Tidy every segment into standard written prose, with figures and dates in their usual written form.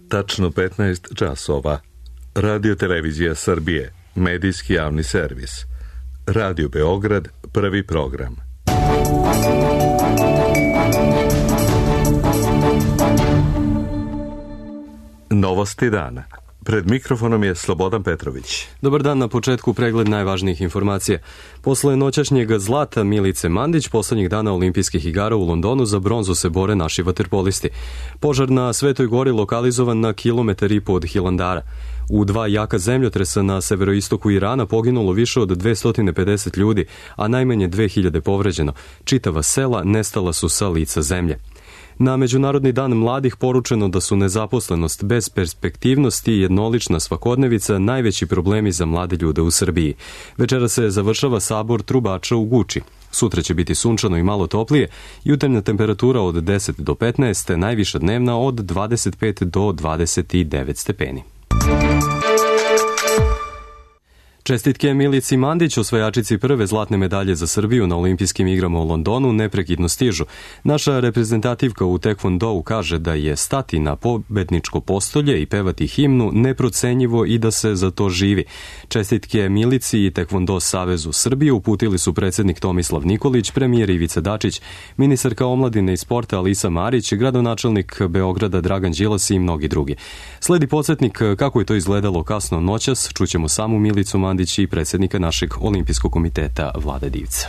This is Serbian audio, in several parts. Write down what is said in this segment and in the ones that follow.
Tačno 15 časova. Radio Televizija Srbije, medijski javni servis. Radio Beograd, prvi program. Novosti dana. Pred mikrofonom je Slobodan Petrović. Dobar dan, na početku pregled najvažnijih informacija. Posle noćašnjeg zlata Milice Mandić, poslednjih dana olimpijskih igara u Londonu, za bronzu se bore naši vaterpolisti. Požar na Svetoj gori lokalizovan na 1,5 kilometara od Hilandara. U 2 jaka zemljotresa na severoistoku Irana poginulo više od 250 ljudi, a najmanje 2000 povređeno. Čitava sela nestala su sa lica zemlje. Na Međunarodni dan mladih poručeno da su nezaposlenost, bezperspektivnost i jednolična svakodnevica najveći problemi za mlade ljude u Srbiji. Večera se završava sabor trubača u Guči. Sutra će biti sunčano i malo toplije, jutarnja temperatura od 10 do 15, najviša dnevna od 25 do 29 stepeni. Čestitke Milici Mandić, osvajačici prve zlatne medalje za Srbiju na olimpijskim igrama u Londonu, neprekidno stižu. Naša reprezentativka u tekvondou kaže da je stati na pobedničko postolje i pevati himnu neprocenjivo i da se za to živi. Čestitke Milici i Tekvondo Savezu Srbije uputili su predsednik Tomislav Nikolić, premijer Ivica Dačić, ministarka omladine i sporta Alisa Marić, gradonačelnik Beograda Dragan Đilas i mnogi drugi. Sledi podsjetnik kako je to izgledalo kasno noćas, čućemo samu Milicu Mandić i predsjednika našeg olimpijskog komiteta Vlade Divca.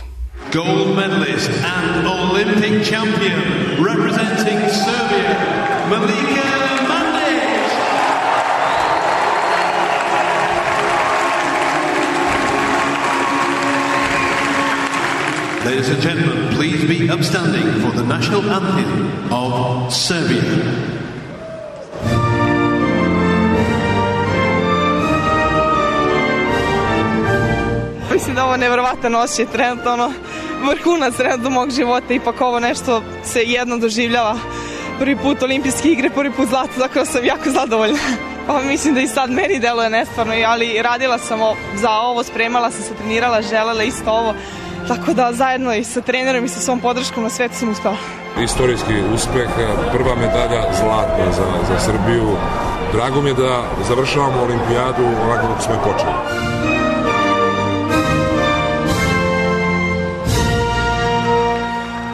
Gold medalist and Olympic champion representing Serbia, Milica Mandić. Ladies and gentlemen, please be upstanding for the national anthem of Serbia. Mislim da ovo je nevjerovatan osjećaj, trenutno vrhunac trenutno mog života, ipak ovo nešto se jedno doživljava. Prvi put olimpijske igre, prvi put zlato, tako da sam jako zadovoljna. Pa mislim da i sad meni deluje nestvarno, ali radila sam za ovo, spremala sam se, trenirala, želela isto ovo. Tako da zajedno i sa trenerom i sa svom podrškom na svetu sam uspela. Istorijski uspeh, prva medalja zlatna za Srbiju. Drago mi je da završavamo olimpijadu onako kako smo i počeli.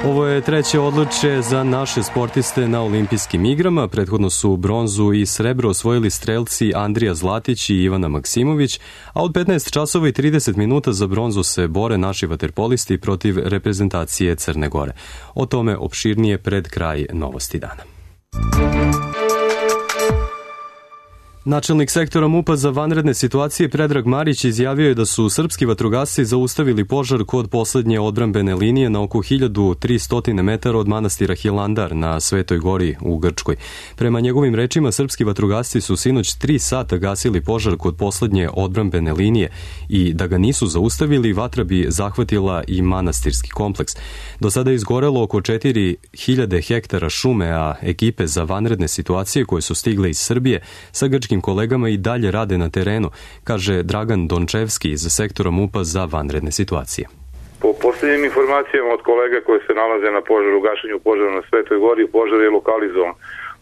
Ovo je treće odličje za naše sportiste na olimpijskim igrama. Prethodno su bronzu i srebro osvojili strelci Andrija Zlatić i Ivana Maksimović, a od 15 časova i 30 minuta za bronzu se bore naši vaterpolisti protiv reprezentacije Crne Gore. O tome opširnije pred kraj novosti dana. Načelnik sektora MUP-a za vanredne situacije Predrag Marić izjavio je da su srpski vatrogasci zaustavili požar kod poslednje odbrambene linije na oko 1300 metara od manastira Hilandar na Svetoj gori u Grčkoj. Prema njegovim rečima, srpski vatrogasci su sinoć 3 sata gasili požar kod poslednje odbrambene linije i da ga nisu zaustavili, vatra bi zahvatila i manastirski kompleks. Do sada je izgorelo oko 4000 hektara šume, a ekipe za vanredne situacije koje su stigle iz Srbije sa grčkim kolegama i dalje rade na terenu, kaže Dragan Dončevski iz sektora MUP-a za vanredne situacije. Po posljednjim informacijama od kolega koji se nalaze na požaru, gašenju požara na Svetoj gori, požar je lokalizovan.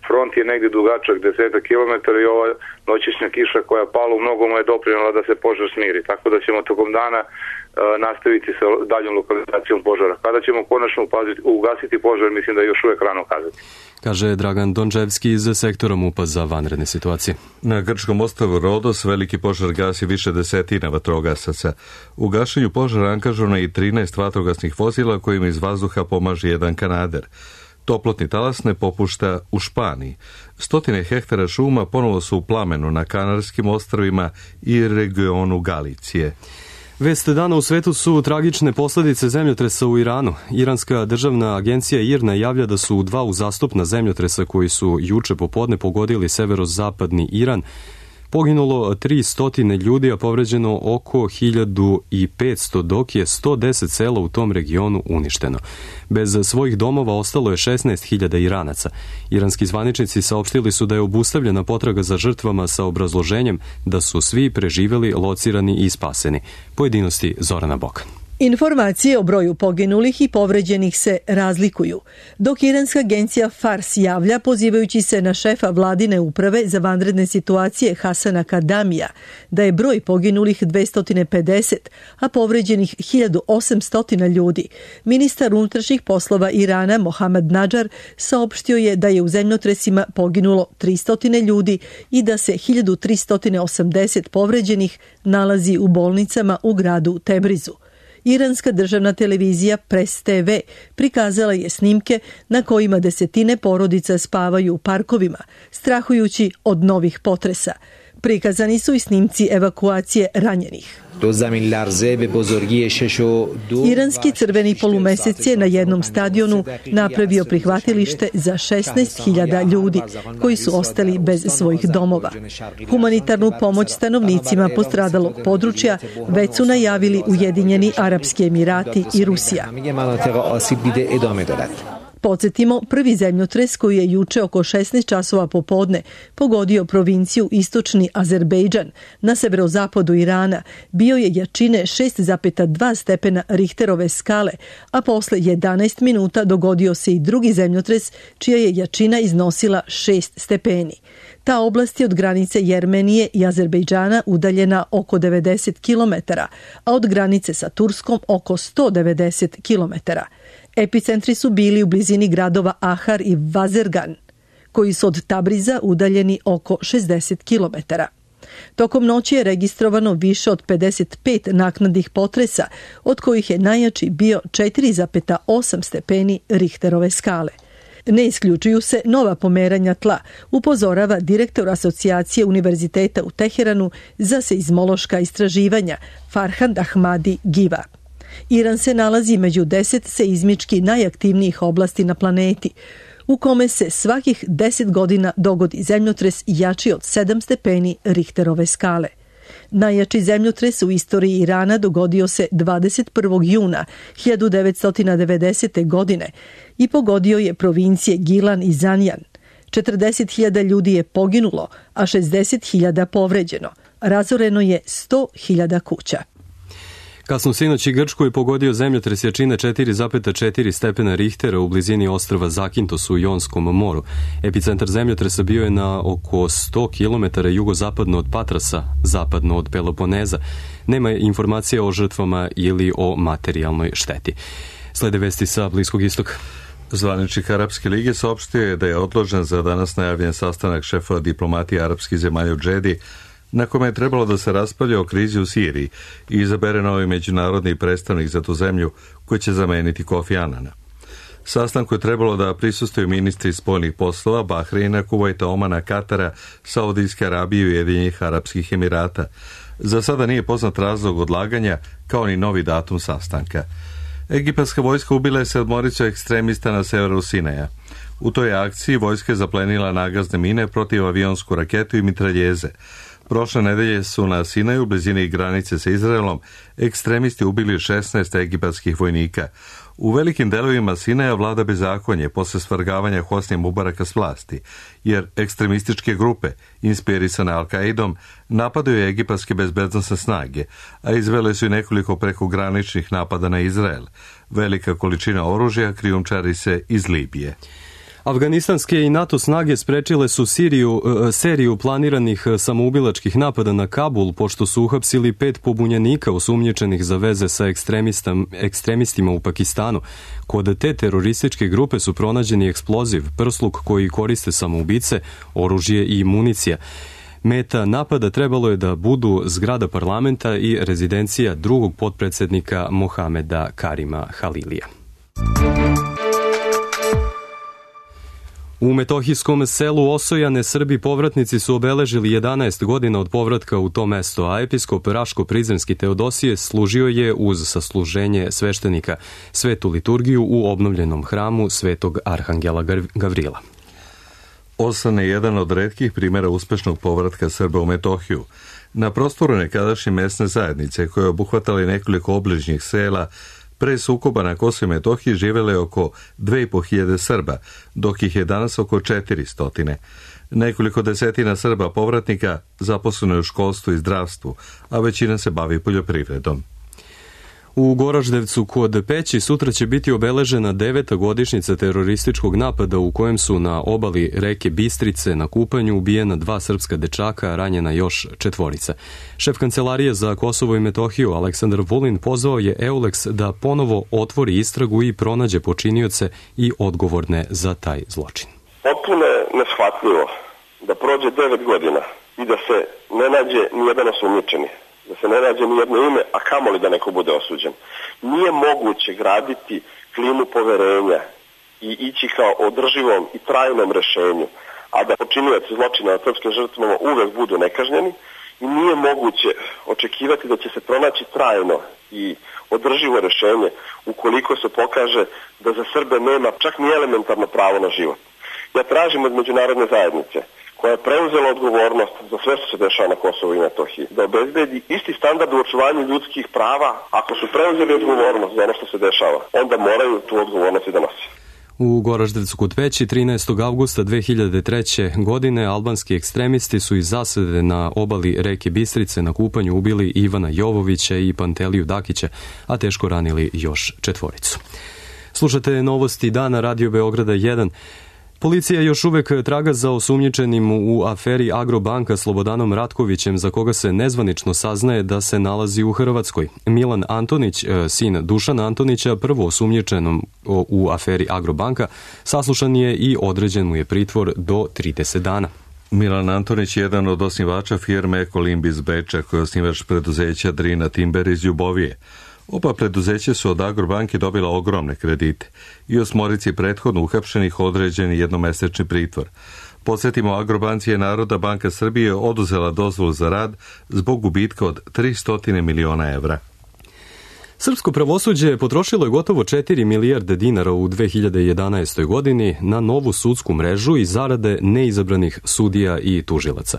Front je negdje dugačak 10 km i ova noćišnja kiša koja je pala u mnogomu je doprinela da se požar smiri. Tako da ćemo tokom dana nastaviti sa daljom lokalizacijom požara. Kada ćemo konačno ugasiti požar, mislim da je još uvijek rano kazati. Kaže Dragan Dončevski iz sektora MUP-a za vanredne situacije. Na grčkom ostrvu Rodos veliki požar gasi više desetina vatrogasaca. U gašenju požara angažovano je i 13 vatrogasnih vozila kojim iz vazduha pomaže jedan kanader. Toplotni talas ne popušta u Španiji. 100 hektara šuma ponovo su u plamenu na Kanarskim ostrvima i regionu Galicije. Vest dana u svetu su tragične posledice zemljotresa u Iranu. Iranska državna agencija IRNA javlja da su 2 uzastopna zemljotresa koji su juče popodne pogodili severozapadni Iran poginulo 300 ljudi, a povređeno oko 1500, dok je 110 sela u tom regionu uništeno. Bez svojih domova ostalo je 16.000 Iranaca. Iranski zvaničnici saopštili su da je obustavljena potraga za žrtvama sa obrazloženjem da su svi preživeli, locirani i spaseni. Pojedinosti Zorana Bokan. Informacije o broju poginulih i povređenih se razlikuju, dok iranska agencija Fars javlja, pozivajući se na šefa vladine uprave za vanredne situacije Hasana Kadamija, da je broj poginulih 250, a povređenih 1800 ljudi. Ministar unutrašnjih poslova Irana Mohammad Nadžar saopštio je da je u zemljotresima poginulo 300 ljudi i da se 1380 povređenih nalazi u bolnicama u gradu Tebrizu. Iranska državna televizija Press TV prikazala je snimke na kojima desetine porodica spavaju u parkovima, strahujući od novih potresa. Prikazani su i snimci evakuacije ranjenih. Iranski crveni polumesec je na jednom stadionu napravio prihvatilište za 16.000 ljudi koji su ostali bez svojih domova. Humanitarnu pomoć stanovnicima postradalog područja već su najavili Ujedinjeni Arapski Emirati i Rusija. Podsjetimo, prvi zemljotres koji je juče oko 16 časova popodne pogodio provinciju Istočni Azerbejdžan na severozapadu Irana bio je jačine 6,2 stepena Richterove skale, a posle 11 minuta dogodio se i drugi zemljotres čija je jačina iznosila 6 stepeni. Ta oblast je od granice Jermenije i Azerbejdžana udaljena oko 90 km, a od granice sa Turskom oko 190 km. Epicentri su bili u blizini gradova Ahar i Vazergan, koji su od Tabriza udaljeni oko 60 km. Tokom noći je registrovano više od 55 naknadnih potresa, od kojih je najjači bio 4,8 stepeni Richterove skale. Ne isključuju se nova pomeranja tla, upozorava direktor Asocijacije univerziteta u Teheranu za seizmološka istraživanja Farhad Ahmadi Giva. Iran se nalazi među 10 seizmički najaktivnijih oblasti na planeti, u kome se svakih 10 godina dogodi zemljotres jači od 7 stepeni Richterove skale. Najjači zemljotres u istoriji Irana dogodio se 21. juna 1990. godine i pogodio je provincije Gilan i Zanjan. 40.000 ljudi je poginulo, a 60.000 povređeno. Razoreno je 100.000 kuća. Kasno sinoć i Grčku je pogodio zemljotres jačine 4,4 stepena Richtera u blizini ostrva Zakintos u Jonskom moru. Epicentar zemljotresa bio je na oko 100 km jugozapadno od Patrasa, zapadno od Peloponeza. Nema informacija o žrtvama ili o materijalnoj šteti. Slede vesti sa Bliskog istoka. Zvaničnik Arapske lige saopštio je da je odložen za danas najavljen sastanak šefova diplomatije arapskih zemalja u Džedi, na kome je trebalo da se raspravlja o krizi u Siriji i izabere novi međunarodni predstavnik za tu zemlju koji će zameniti Kofi Anana. Sastanku je trebalo da prisustuju ministri spoljnih poslova Bahreina, Kuvajta, Omana, Katara, Saudijske Arabije i Ujedinjenih Arapskih Emirata. Za sada nije poznat razlog odlaganja, kao ni novi datum sastanka. Egipatska vojska ubila je 7 ekstremista na severu Sinaja. U toj akciji vojska je zaplenila nagazne mine, protivavionsku raketu i mitraljeze. Prošle nedelje su na Sinaju, u blizini granice sa Izraelom, ekstremisti ubili 16 egipatskih vojnika. U velikim delovima Sinaja vlada bezakonje posle svrgavanja Hosnija Mubaraka s vlasti, jer ekstremističke grupe, inspirisane Al-Qaidom, napadaju egipatske bezbednosne snage, a izvele su i nekoliko prekograničnih napada na Izrael. Velika količina oružja krijumčari se iz Libije. Afganistanske i NATO snage sprečile su seriju planiranih samoubilačkih napada na Kabul, pošto su uhapsili 5 pobunjenika osumnjičenih za veze sa ekstremistima u Pakistanu. Kod te terorističke grupe su pronađeni eksploziv, prsluk koji koriste samoubice, oružje i municija. Meta napada trebalo je da budu zgrada parlamenta i rezidencija drugog potpredsednika Mohameda Karima Halilija. U metohijskom selu Osojane Srbi povratnici su obeležili 11 godina od povratka u to mesto, a episkop Raško-Prizrenski Teodosije služio je uz sasluženje sveštenika svetu liturgiju u obnovljenom hramu Svetog Arhangela Gavrila. Osan je jedan od retkih primjera uspešnog povratka Srba u Metohiju. Na prostoru nekadašnje mesne zajednice, koje obuhvatali nekoliko obližnjih sela, pre sukoba na Kosovu i Metohiji živele oko 2.500 Srba, dok ih je danas oko 400. Nekoliko desetina Srba povratnika zaposleno je u školstvu i zdravstvu, a većina se bavi poljoprivredom. U Goraždevcu kod Peći sutra će biti obeležena 9. godišnjica terorističkog napada u kojem su na obali reke Bistrice na kupanju ubijena 2 srpska dečaka, a ranjena još 4. Šef Kancelarije za Kosovo i Metohiju Aleksandar Vulin pozvao je EULEX da ponovo otvori istragu i pronađe počinioce i odgovorne za taj zločin. Potpuno je neshvatljivo da prođe 9 godina i da se ne nađe nijedan osumnjičeni, da se ne nađe nijedno ime, a kamoli da neko bude osuđen. Nije moguće graditi klimu poverenja i ići kao održivom i trajnom rešenju, a da počinioci zločina nad srpskim žrtvama uvek budu nekažnjeni, i nije moguće očekivati da će se pronaći trajno i održivo rešenje ukoliko se pokaže da za Srbe nema čak ni elementarno pravo na život. Ja tražim od međunarodne zajednice, koja je preuzela odgovornost za sve što se dešava na Kosovu i Metohiji, da obezbedi isti standard u očuvanju ljudskih prava. Ako su preuzeli odgovornost za ono što se dešava, onda moraju tu odgovornost i da nose. U Goraždevcu kod Peći 13. avgusta 2003. godine albanski ekstremisti su iz zasede na obali reke Bistrice na kupanju ubili Ivana Jovovića i Panteliju Dakića, a teško ranili još 4. Slušate novosti dana Radio Beograda 1. Policija još uvek traga za osumnjičenim u aferi Agrobanka Slobodanom Ratkovićem, za koga se nezvanično saznaje da se nalazi u Hrvatskoj. Milan Antonić, sin Dušana Antonića, prvo osumnjičenom u aferi Agrobanka, saslušan je i određen mu je pritvor do 30 dana. Milan Antonić je jedan od osnivača firme Ekolimb iz Beča, koji je osnivač preduzeća Drina Timber iz Ljubovije. Oba preduzeća su od Agrobanke dobila ogromne kredite i 8 prethodno uhapšenih određen jednomesečni pritvor. Podsjetimo, Agrobanci je Narodna banka Srbije oduzela dozvolu za rad zbog gubitka od 300 miliona evra. Srpsko pravosuđe potrošilo je gotovo 4 milijarde dinara u 2011. godini na novu sudsku mrežu i zarade neizabranih sudija i tužilaca.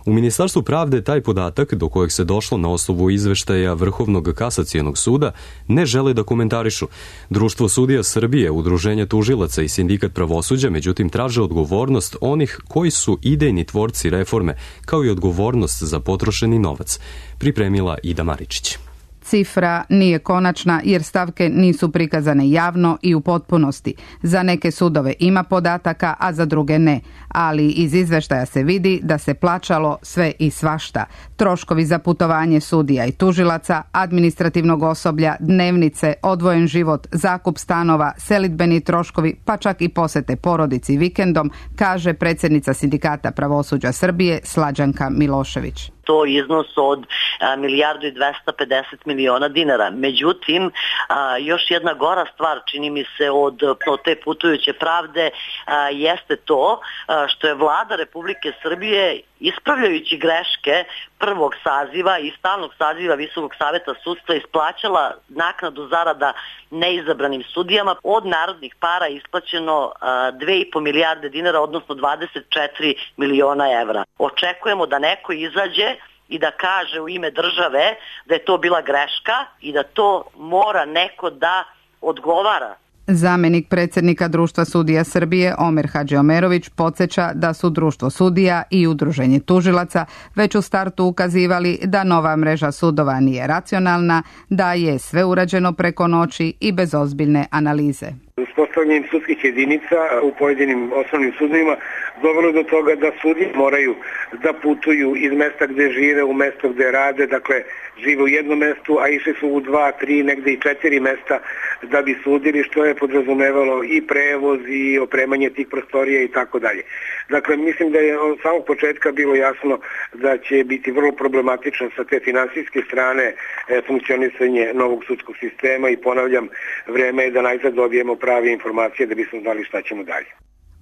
U Ministarstvu pravde taj podatak, do kojeg se došlo na osnovu izveštaja Vrhovnog kasacionog suda, ne žele da komentarišu. Društvo sudija Srbije, Udruženje tužilaca i Sindikat pravosuđa, međutim, traže odgovornost onih koji su idejni tvorci reforme, kao i odgovornost za potrošeni novac. Pripremila Ida Maričić. Cifra nije konačna jer stavke nisu prikazane javno i u potpunosti. Za neke sudove ima podataka, a za druge ne. Ali iz izveštaja se vidi da se plaćalo sve i svašta. Troškovi za putovanje sudija i tužilaca, administrativnog osoblja, dnevnice, odvojen život, zakup stanova, selidbeni troškovi, pa čak i posete porodici vikendom, kaže predsjednica Sindikata pravosuđa Srbije Slađanka Milošević. To iznos od 1.250 miliona dinara. Međutim, još jedna gora stvar, čini mi se, od te putujuće pravde jeste to što je Vlada Republike Srbije, ispravljajući greške prvog saziva i stalnog saziva Visokog saveta sudstva, isplaćala naknadu zarada neizabranim sudijama. Od narodnih para isplaćeno 2,5 milijarde dinara, odnosno 24 miliona evra. Očekujemo da neko izađe i da kaže u ime države da je to bila greška i da to mora neko da odgovara. Zamenik predsjednika Društva sudija Srbije Omer Hadžiomerović podsjeća da su Društvo sudija i Udruženje tužilaca već u startu ukazivali da nova mreža sudova nije racionalna, da je sve urađeno preko noći i bez ozbiljne analize. Uspostavljanjem sudskih jedinica u pojedinim osnovnim sudovima dovelo do toga da sudije moraju da putuju iz mesta gde žive u mesto gde rade, dakle žive u jednom mestu, a išli su u 2, 3, negde i 4 mesta da bi sudili, što je podrazumevalo i prevoz i opremanje tih prostorija i tako dalje. Dakle, mislim da je od samog početka bilo jasno da će biti vrlo problematično sa te finansijske strane funkcionisanje novog sudskog sistema i ponavljam, vreme je da najzad dobijemo prave informacije da bismo znali šta ćemo dalje.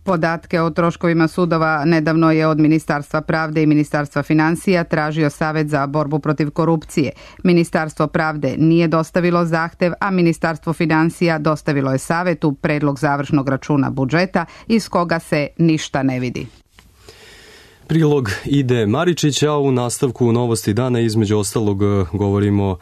Podatke o troškovima sudova nedavno je od Ministarstva pravde i Ministarstva financija tražio Savet za borbu protiv korupcije. Ministarstvo pravde nije dostavilo zahtev, a Ministarstvo financija dostavilo je Savetu predlog završnog računa budžeta iz koga se ništa ne vidi. Prilog Ide Maričića, u nastavku novosti dana između ostalog govorimo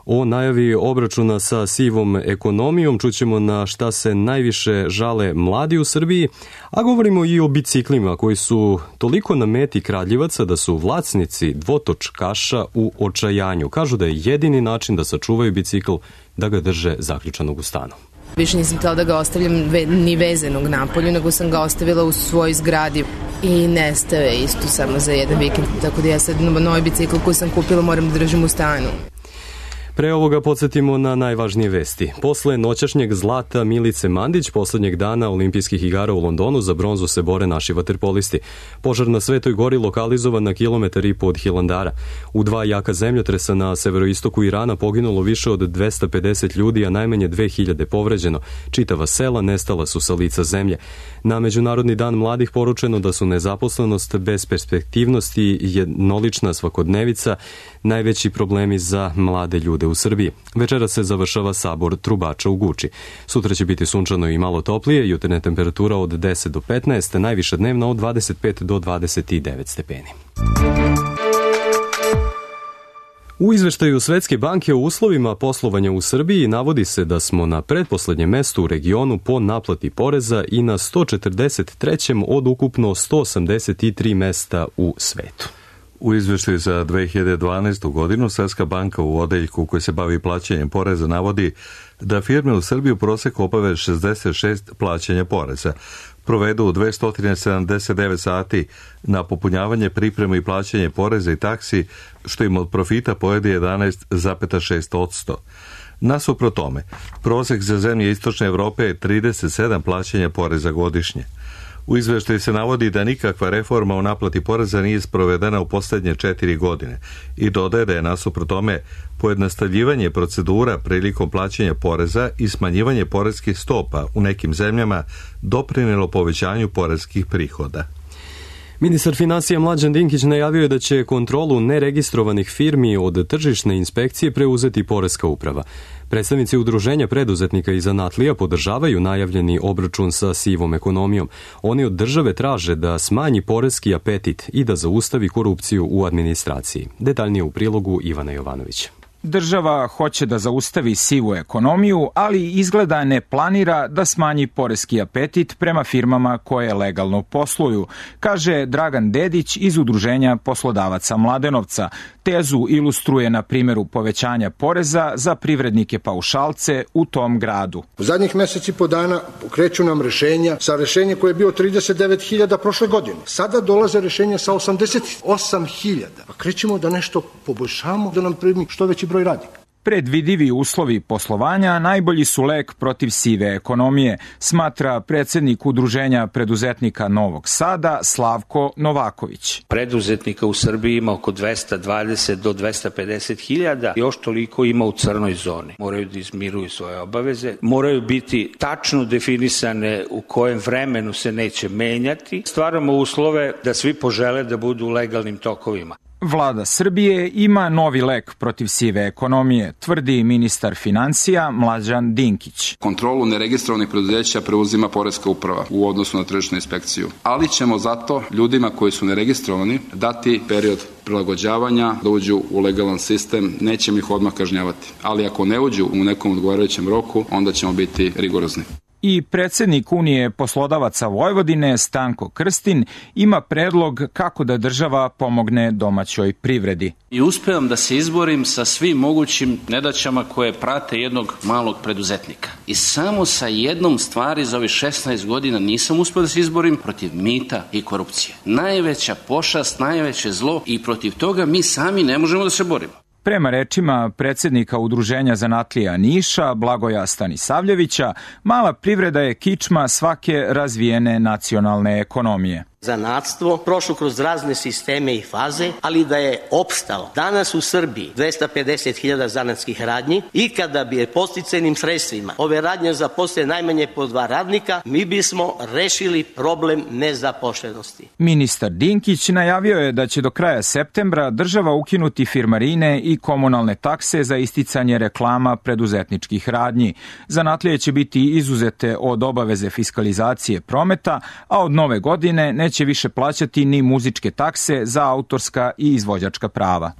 O najavi obračuna sa sivom ekonomijom čućemo na šta se najviše žale mladi u Srbiji, a govorimo i o biciklima koji su toliko na meti kradljivaca da su vlasnici dvotočkaša u očajanju. Kažu da je jedini način da sačuvaju bicikl da ga drže zaključanog u stanu. Više nisam htjela da ga ostavljam ni vezanog napolju, nego sam ga ostavila u svojoj zgradi i nestao je isto samo za jedan vikend, tako da ja sad novi bicikl koji sam kupila moram da držim u stanu. Pre ovoga podsjetimo na najvažnije vesti. Posle noćašnjeg zlata Milice Mandić, poslednjeg dana olimpijskih igara u Londonu, za bronzu se bore naši vaterpolisti. Požar na Svetoj gori lokalizovan na 1,5 kilometara od Hilandara. U 2 jaka zemljotresa na severoistoku Irana poginulo više od 250 ljudi, a najmanje 2000 povređeno. Čitava sela nestala su sa lica zemlje. Na Međunarodni dan mladih poručeno da su nezaposlenost, besperspektivnost i jednolična svakodnevica najveći problemi za mlade ljude u Srbiji. Večera se završava sabor trubača u Guči. Sutra će biti sunčano i malo toplije, jutarnja temperatura od 10 do 15, najviša dnevna od 25 do 29 stepeni. U izveštaju Svetske banke o uslovima poslovanja u Srbiji navodi se da smo na pretposlednjem mestu u regionu po naplati poreza i na 143. od ukupno 183 mesta u svetu. U izveštaju za 2012. godinu Svetska banka u odeljku koji se bavi plaćanjem poreza navodi da firme u Srbiji u proseku obave 66 plaćanja poreza, provedu 279 sati na popunjavanje, pripremu i plaćanje poreza i taksi, što im od profita pojede 11,6%. Nasuprot tome, prosek za zemlje Istočne Evrope je 37 plaćanja poreza godišnje. U izveštaju se navodi da nikakva reforma u naplati poreza nije sprovedena u posljednje 4 godine i dodaje da je nasuprot tome pojednostavljivanje procedura prilikom plaćanja poreza i smanjivanje poreskih stopa u nekim zemljama doprinelo povećanju poreskih prihoda. Ministar finansija Mlađan Dinkić najavio je da će kontrolu neregistrovanih firmi od tržišne inspekcije preuzeti Poreska uprava. Predstavnici Udruženja preduzetnika i zanatlija podržavaju najavljeni obračun sa sivom ekonomijom. Oni od države traže da smanji poreski apetit i da zaustavi korupciju u administraciji. Detaljnije u prilogu Ivana Jovanovića. Država hoće da zaustavi sivu ekonomiju, ali izgleda ne planira da smanji poreski apetit prema firmama koje legalno posluju, kaže Dragan Dedić iz Udruženja poslodavaca Mladenovca. Tezu ilustruje na primjeru povećanja poreza za privrednike paušalce u tom gradu. U zadnjih meseci i po dana pokreću nam rešenja sa rešenjem koje je bio 39.000 prošle godine. Sada dolaze rešenja sa 88.000. Pa krećemo da nešto poboljšamo, da nam primi što veći broj radnika. Predvidivi uslovi poslovanja najbolji su lek protiv sive ekonomije, smatra predsjednik Udruženja preduzetnika Novog Sada Slavko Novaković. Preduzetnika u Srbiji ima oko 220 do 250 hiljada, još toliko ima u crnoj zoni. Moraju da izmiruju svoje obaveze, moraju biti tačno definisane u kojem vremenu se neće menjati. Stvaramo uslove da svi požele da budu u legalnim tokovima. Vlada Srbije ima novi lek protiv sive ekonomije, tvrdi ministar finansija Mlađan Dinkić. Kontrolu neregistrovanih preduzeća preuzima Poreska uprava u odnosu na tržišnu inspekciju, ali ćemo zato ljudima koji su neregistrovani dati period prilagođavanja da uđu u legalan sistem, nećemo ih odmah kažnjavati, ali ako ne uđu u nekom odgovarajućem roku, onda ćemo biti rigorozni. I predsjednik Unije poslodavaca Vojvodine Stanko Krstin ima predlog kako da država pomogne domaćoj privredi. I uspevam da se izborim sa svim mogućim nedaćama koje prate jednog malog preduzetnika. I samo sa jednom stvari za ovih 16 godina nisam uspio da se izborim protiv mita i korupcije. Najveća pošast, najveće zlo i protiv toga mi sami ne možemo da se borimo. Prema rečima predsjednika Udruženja zanatlija Niša, Blagoja Stanisavljevića, mala privreda je kičma svake razvijene nacionalne ekonomije. Zanatstvo prošlo kroz razne sisteme i faze, ali da je opstalo. Danas u Srbiji 250.000 zanatskih radnji i kada bi je podsticajnim sredstvima ove radnje zaposle najmanje po 2 radnika, mi bismo rešili problem nezaposlenosti. Ministar Dinkić najavio je da će do kraja septembra država ukinuti firmarine i komunalne takse za isticanje reklama preduzetničkih radnji. Zanatlije će biti izuzete od obaveze fiskalizacije prometa, a od nove godine neće više plaćati ni muzičke takse za autorska i izvođačka prava.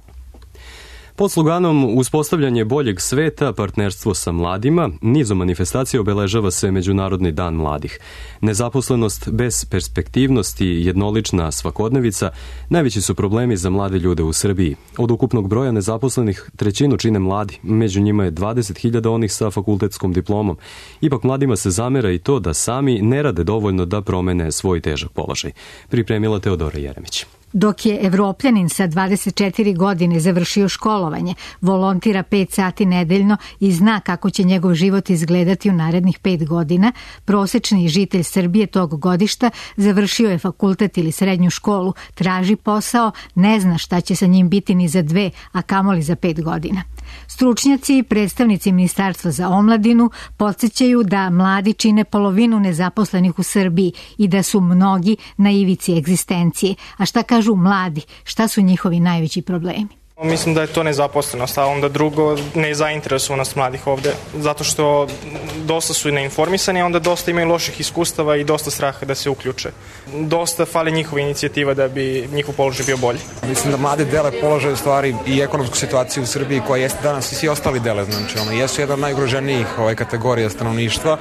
Pod sloganom Uspostavljanje boljeg sveta, partnerstvo sa mladima, nizom manifestacija obeležava se Međunarodni dan mladih. Nezaposlenost, besperspektivnost i jednolična svakodnevica najveći su problemi za mlade ljude u Srbiji. Od ukupnog broja nezaposlenih trećinu čine mladi, među njima je 20.000 onih sa fakultetskom diplomom. Ipak mladima se zamera i to da sami ne rade dovoljno da promene svoj težak položaj. Pripremila Teodora Jeremić. Dok je Evropljanin sa 24 godine završio školovanje, volontira 5 sati nedeljno i zna kako će njegov život izgledati u narednih 5 godina, prosečni žitelj Srbije tog godišta završio je fakultet ili srednju školu, traži posao, ne zna šta će sa njim biti ni za 2, a kamoli za 5 godina. Stručnjaci i predstavnici Ministarstva za omladinu podsjećaju da mladi čine polovinu nezaposlenih u Srbiji i da su mnogi na ivici egzistencije. A šta kažu mladi? Šta su njihovi najveći problemi? Mislim da je to nezaposlenost, a onda drugo nezainteresovanost mladih ovde, zato što dosta su neinformisani, a onda dosta imaju loših iskustava i dosta straha da se uključe. Dosta fali njihova inicijativa da bi njihov položaj bio bolji. Mislim da mladi dele položaj u stvari i ekonomsku situaciju u Srbiji koja jeste danas i svi ostali dele, znači jesu jedan od najugroženijih kategorija stanovništva.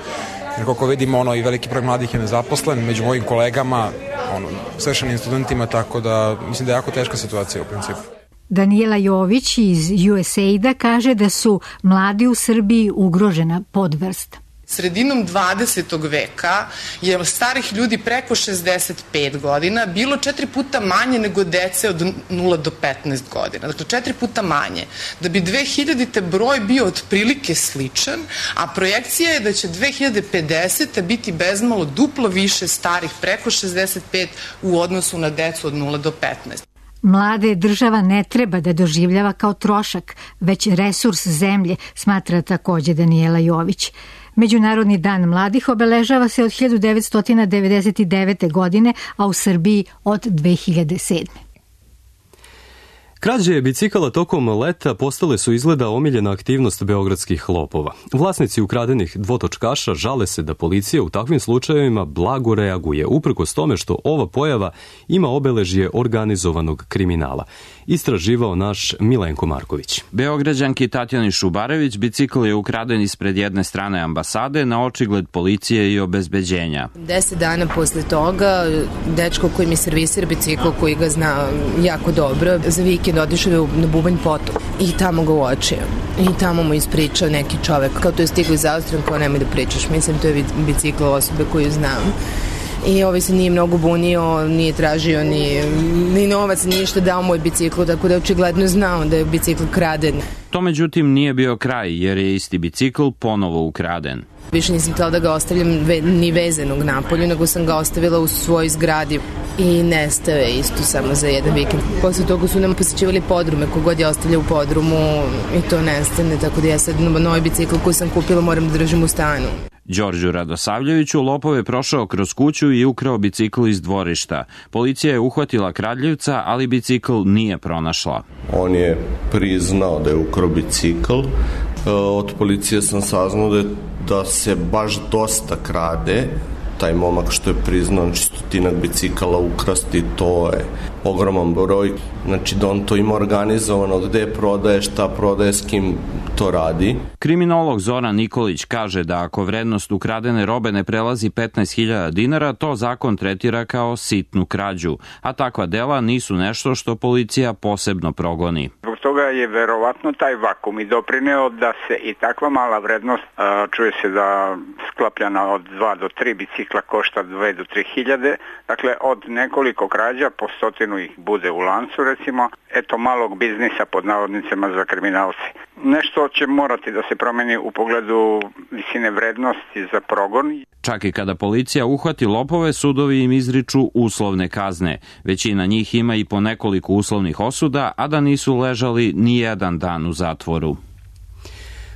Jer koliko vidimo, i veliki broj mladih je nezaposlen, među mojim kolegama, svršenim studentima, tako da mislim da je jako teška situacija u principu. Daniela Jović iz USAID-a kaže da su mladi u Srbiji ugrožena podvrsta. Sredinom 20. veka je starih ljudi preko 65 godina bilo 4 puta manje nego dece od 0 do 15 godina. Dakle, 4 puta manje. Da bi 2000. broj bio otprilike sličan, a projekcija je da će 2050. biti bezmalo duplo više starih preko 65 u odnosu na decu od 0 do 15. Mlade država ne treba da doživljava kao trošak, već resurs zemlje, smatra takođe Daniela Jović. Međunarodni dan mladih obeležava se od 1999. godine, a u Srbiji od 2007. Krađe bicikala tokom leta postale su izgleda omiljena aktivnost beogradskih lopova. Vlasnici ukradenih dvotočkaša žale se da policija u takvim slučajevima blago reaguje, uprkos tome što ova pojava ima obeležje organizovanog kriminala. Istraživao naš Milenko Marković. Beograđanki Tatjani Šubarević bicikl je ukraden ispred jedne strane ambasade na očigled policije i obezbeđenja. 10 dana posle toga, dečko koji mi servisira bicikl, koji ga zna jako dobro, za vikend otišao na Bubanj potok i tamo ga uočio. I tamo mu ispričao neki čovek, kao to je stiglo iz Austrije, kao nemoj da pričaš, mislim to je bicikl osobe koju znam. I ovaj se nije mnogo bunio, nije tražio ni novac, ništa, dao moj bicikl, tako da je očigledno znao da je bicikl kraden. To međutim nije bio kraj, jer je isti bicikl ponovo ukraden. Više nisam htjela da ga ostavljam ni vezanog napolju, nego sam ga ostavila u svojoj zgradi i nestao je isto samo za jedan vikend. Posle toga su nam posjećivali podrume, kogod je ostavlja u podrumu i to nestane, tako da ja sad novi bicikl koji sam kupila moram da držim u stanu. Đorđu Radosavljeviću lopov je prošao kroz kuću i ukrao bicikl iz dvorišta. Policija je uhvatila kradljivca, ali bicikl nije pronašla. On je priznao da je ukrao bicikl. Od policije sam saznao da se baš dosta krade. Taj momak što je priznao 100 bicikala ukrasti, to je ogroman broj. Znači da on to ima organizovano, gde prodaje, šta prodaje, s kim to radi. Kriminolog Zoran Nikolić kaže da ako vrednost ukradene robe ne prelazi 15.000 dinara, to zakon tretira kao sitnu krađu, a takva dela nisu nešto što policija posebno progoni. Zbog toga je verovatno taj vakum i doprineo da se i takva mala vrednost, čuje se da sklapljana od 2 do 3 bicikla košta 2 do 3.000, dakle od nekoliko krađa po 100 ih bude u lancu, recimo, eto malog biznisa pod navodnicima za kriminalce. Nešto će morati da se promeni u pogledu visine vrednosti za progon. Čak i kada policija uhvati lopove, sudovi im izriču uslovne kazne. Većina njih ima i po nekoliko uslovnih osuda, a da nisu ležali ni jedan dan u zatvoru.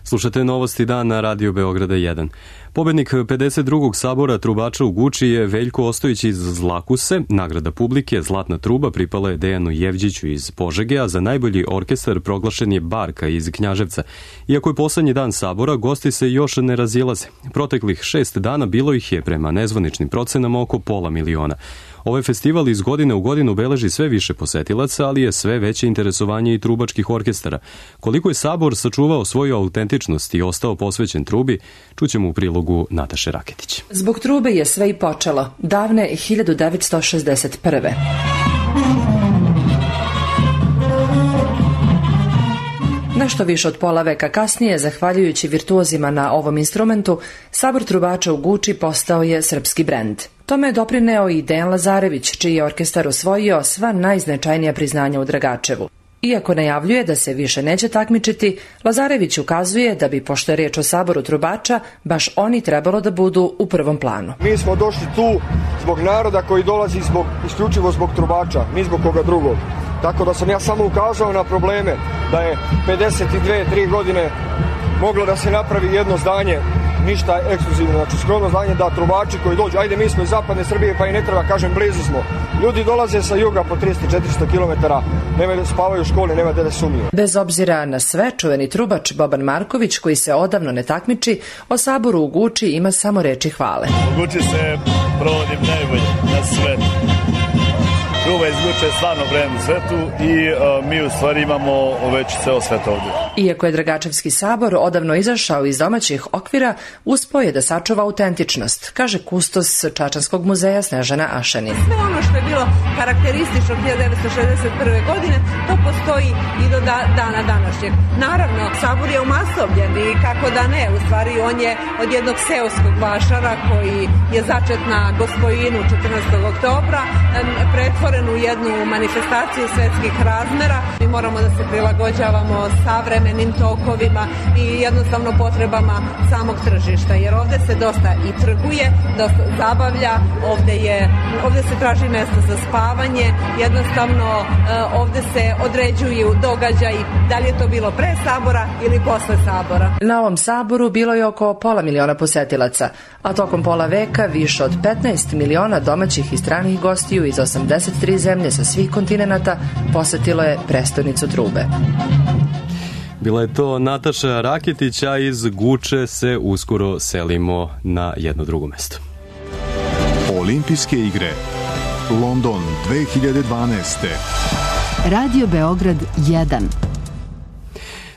Slušate Novosti dan na Radio Beograda 1. Pobednik 52. sabora trubača u Guči je Veljko Ostojić iz Zlakuse. Nagrada publike Zlatna truba pripala je Dejanu Jevđiću iz Požege, a za najbolji orkestar proglašen je Barka iz Knjaževca. Iako je poslednji dan sabora, gosti se još ne razilaze. Proteklih 6 dana bilo ih je prema nezvaničnim procenama oko 500.000. Ovaj festival iz godine u godinu beleži sve više posetilaca, ali je sve veće interesovanje i trubačkih orkestara. Koliko je sabor sačuvao svoju autentičnost i ostao posvećen trubi, čućemo u prilogu Nataše Raketić. Zbog trube je sve i počelo, davne 1961. Nešto više od pola veka kasnije, zahvaljujući virtuozima na ovom instrumentu, sabor trubača u Guči postao je srpski brend. Tome je doprineo i Dejan Lazarević, čiji je orkestar osvojio sva najznačajnija priznanja u Dragačevu. Iako najavljuje da se više neće takmičiti, Lazarević ukazuje da bi, pošto je reč o saboru trubača, baš oni trebalo da budu u prvom planu. Mi smo došli tu zbog naroda koji dolazi isključivo zbog trubača, ni zbog koga drugog. Tako da sam ja samo ukazao na probleme da je 52-3 godine moglo da se napravi jedno zdanje, ništa ekskluzivno, znači skromno zdanje da trubači koji dođu, ajde mi smo iz zapadne Srbije pa i ne treba, kažem blizu smo. Ljudi dolaze sa juga po 300-400 km, spavaju u školi, nema gde da sumiju. Bez obzira na sve, čuveni trubač Boban Marković, koji se odavno ne takmiči, o saboru u Guči ima samo reči hvale. U Guči se provodim najbolje na svetu. Truba iz Guče je stvarno brend u svetu i mi u stvari imamo već ceo svet ovdje. Iako je Dragačevski sabor odavno izašao iz domaćih okvira, uspeo je da sačuva autentičnost, kaže kustos Čačanskog muzeja Snežana Ašanin. Sve ono što je bilo karakteristično 1961. godine, to postoji i do dana današnjeg. Naravno, sabor je umasovljen i kako da ne, u stvari on je od jednog seoskog vašara koji je začet na Gospojinu 14. oktobra, pretvoren u jednu manifestaciju svetskih razmera. Mi moramo da se prilagođavamo savremenim tokovima i jednostavno potrebama samog tržišta, jer ovde se dosta i trguje, dosta zabavlja, ovde se traži mesto za spavanje, jednostavno ovde se određuju događaji, da li je to bilo pre sabora ili posle sabora. Na ovom saboru bilo je oko 500.000 posetilaca, a tokom pola veka više od 15 miliona domaćih i stranih gostiju iz 83 zemlje sa svih kontinenata posetilo je prestonicu trube. Bila je to Nataša Raketić, a iz Guče se uskoro selimo na jedno drugo mesto. Olimpijske igre London 2012. Radio Beograd 1.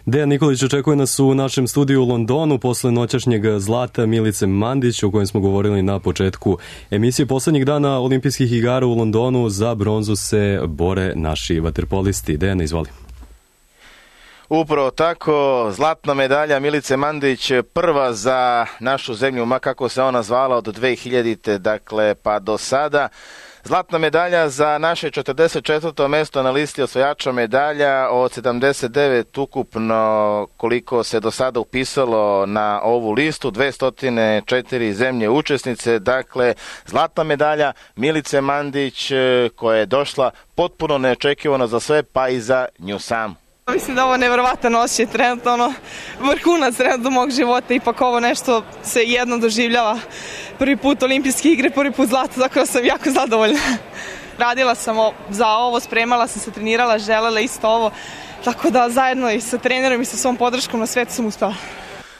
Dejan Nikolić očekuje nas u našem studiju u Londonu posle noćašnjeg zlata Milice Mandić, o kojem smo govorili na početku emisije. Poslednjih dana olimpijskih igara u Londonu za bronzu se bore naši vaterpolisti. Dejan, izvoli. Upravo tako, zlatna medalja Milice Mandić, prva za našu zemlju, ma kako se ona zvala od 2000. dakle pa do sada. Zlatna medalja za naše 44. mesto na listi osvajača medalja od 79 ukupno koliko se do sada upisalo na ovu listu, 204 zemlje učesnice, dakle zlatna medalja Milice Mandić koja je došla potpuno neočekivano za sve pa i za nju samu. Mislim da ovo nevjerovatan osjećaj, trenutno vrhunac trenutno mog života, ipak ovo nešto se jedno doživljava. Prvi put olimpijske igre, prvi put zlato, tako da sam jako zadovoljna. Radila sam za ovo, spremala sam se, trenirala, želela isto ovo, tako da zajedno i sa trenerom i sa svom podrškom na svetu sam uspela.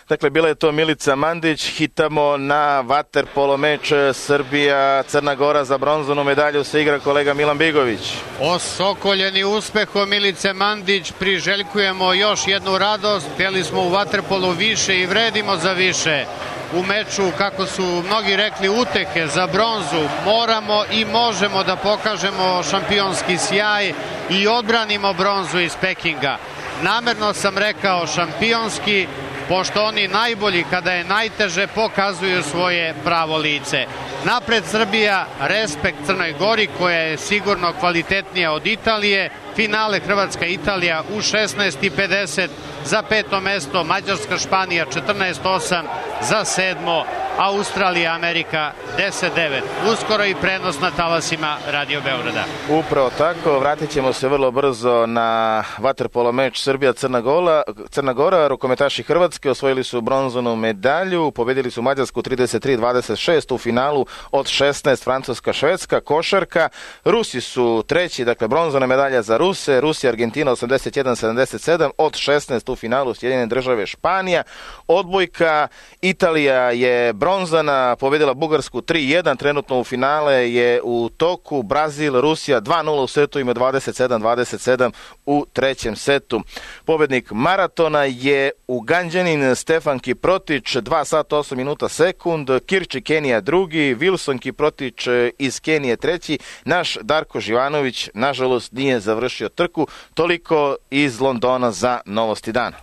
Dakle, bila je to Milica Mandić. Hitamo na vaterpolo meč Srbija-Crna Gora. Za bronzanu medalju se igra kolega Milan Bigović. Osokoljeni uspehom Milice Mandić priželjkujemo još jednu radost. Htjeli smo u vaterpolu više i vredimo za više. U meču, kako su mnogi rekli, utehe za bronzu, moramo i možemo da pokažemo šampionski sjaj i odbranimo bronzu iz Pekinga. Namerno sam rekao šampionski, pošto oni najbolji kada je najteže pokazuju svoje pravo lice. Napred Srbija, respekt Crnoj Gori koja je sigurno kvalitetnija od Italije. Finale Hrvatska-Italija u 16:50, za 5. mesto Mađarska-Španija 14:8, za 7. Australija, Amerika 10-9. Uskoro i prenos na talasima Radio Beograda. Upravo tako, vratit ćemo se vrlo brzo na vaterpolo meč Srbija-Crna Gora. Rukometaši Hrvatske osvojili su bronzanu medalju, pobedili su Mađarsku 33-26 u finalu od 16 Francuska-Švedska. Košarka, Rusi su treći, dakle bronzana medalja za Ruse, Rusija, Argentina 81-77 od 16 u finalu Sjedinjene Države, Španija. Odbojka, Italija je bronzana, pobedila Bugarsku 3-1, trenutno u finale je u toku. Brazil, Rusija 2-0 u setu, ima 27-27 u trećem setu. Pobednik maratona je Uganđanin Stefan Kiprotić, 2 sata 8 minuta sekund, Kirči Kenija drugi, Wilson Kiprotić iz Kenije treći, naš Darko Živanović nažalost nije završio trku. Toliko iz Londona za novosti dana.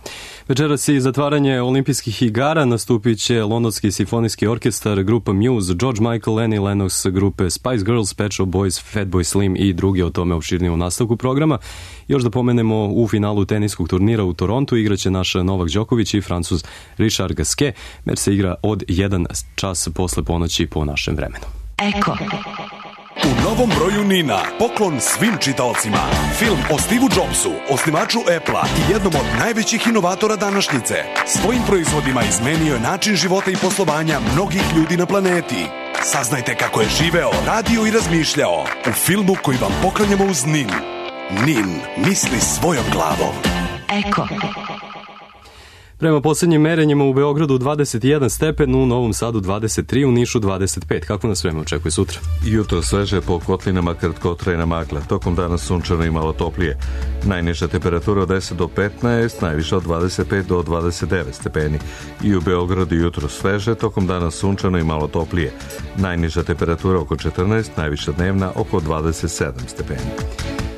Večeras i zatvaranje olimpijskih igara nastupit će Londonski simfonijski orkestar, grupa Muse, George Michael, Annie Lennox, grupe Spice Girls, Pet Shop Boys, Fatboy Slim i drugi, o tome opširnije u nastavku programa. Još da pomenemo, u finalu teniskog turnira u Torontu igraće naš Novak Đoković i Francuz Richard Gasquet. Meč se igra od 1 čas posle ponoći po našem vremenu. Eko. U novom broju Nina, poklon svim čitaocima. Film o Steve Jobsu, osnivaču Apple-a i jednom od najvećih inovatora današnjice. Svojim proizvodima izmenio je način života i poslovanja mnogih ljudi na planeti. Saznajte kako je živeo, radio i razmišljao u filmu koji vam poklanjamo uz Nin. Nin misli svojom glavom. Eko. Prema posljednjim merenjima u Beogradu 21 stepen, u Novom Sadu 23, u Nišu 25. Kako nas vreme očekuje sutra? Jutro sveže, po kotlinama kratkotrajna magla. Tokom dana sunčano i malo toplije. Najniža temperatura od 10 do 15, najviša od 25 do 29 stepeni. I u Beogradu jutro sveže, tokom dana sunčano i malo toplije. Najniža temperatura oko 14, najviša dnevna oko 27 stepeni.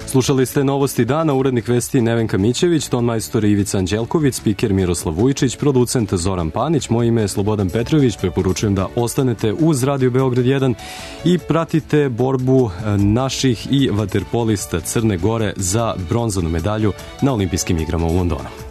Slušali ste novosti dana, urednik vesti Nevenka Mićević, tonmajstor Ivica Anđelković, spiker Miroslav Vujčić, producent Zoran Panić, moje ime je Slobodan Petrović, preporučujem da ostanete uz Radio Beograd 1 i pratite borbu naših i vaterpolista Crne Gore za bronzanu medalju na olimpijskim igrama u Londonu.